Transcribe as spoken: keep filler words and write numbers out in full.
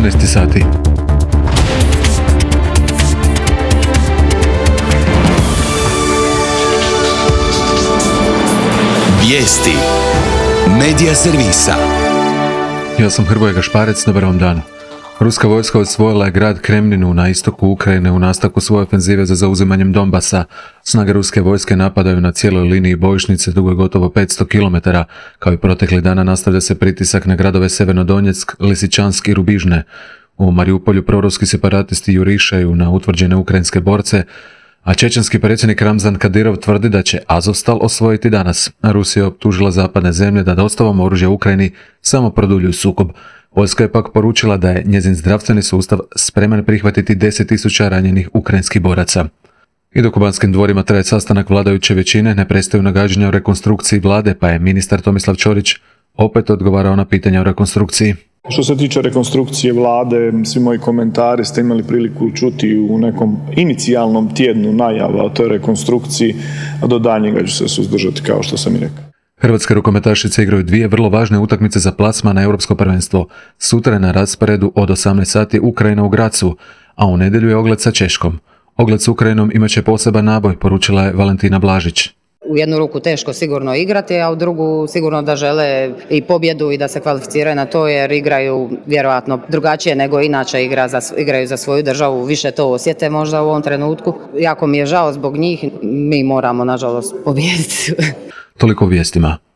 jedanaest sati. Vijesti Medija servisa. Ja sam Hrvoje Gašparec, dobar vam dan. Ruska vojska osvojila je grad Kremninu na istoku Ukrajine u nastavku svoje ofenzive za zauzimanjem Donbasa. Snage ruske vojske napadaju na cijeloj liniji bojišnice dugoj gotovo petsto kilometara. Kao i protekli dana nastavlja se pritisak na gradove Severnodonjeck, Lisičansk i Rubižne. U Mariupolju proruski separatisti jurišaju na utvrđene ukrajinske borce, a čečenski predsjednik Ramzan Kadirov tvrdi da će Azovstal osvojiti danas. Rusija je optužila zapadne zemlje da dostavom oružja Ukrajini samo produljuju sukob. Vojska je pak poručila da je njezin zdravstveni sustav spreman prihvatiti deset tisuća ranjenih ukrajinskih boraca. I dok u Banskim dvorima traje sastanak vladajuće većine, ne prestaju nagađanja o rekonstrukciji vlade, pa je ministar Tomislav Ćorić opet odgovarao na pitanja o rekonstrukciji. Što se tiče rekonstrukcije vlade, svi moji komentari ste imali priliku čuti u nekom inicijalnom tjednu najava o toj rekonstrukciji, a do daljnjega ću se suzdržati, kao što sam i rekao. Hrvatske rukometašice igraju dvije vrlo važne utakmice za plasman na Europsko prvenstvo. Sutra je na rasporedu od osamnaest sati Ukrajina u Grazu, a u nedjelju je ogled sa Češkom. Ogled s Ukrajinom imat će poseban naboj, poručila je Valentina Blažić. U jednu ruku teško sigurno igrati, a u drugu sigurno da žele i pobjedu i da se kvalificiraju na to, jer igraju vjerojatno drugačije nego inače igra za, igraju za svoju državu, više to osjete možda u ovom trenutku. Jako mi je žao zbog njih, mi moramo nažalost pobijediti. Toliko u vijestima.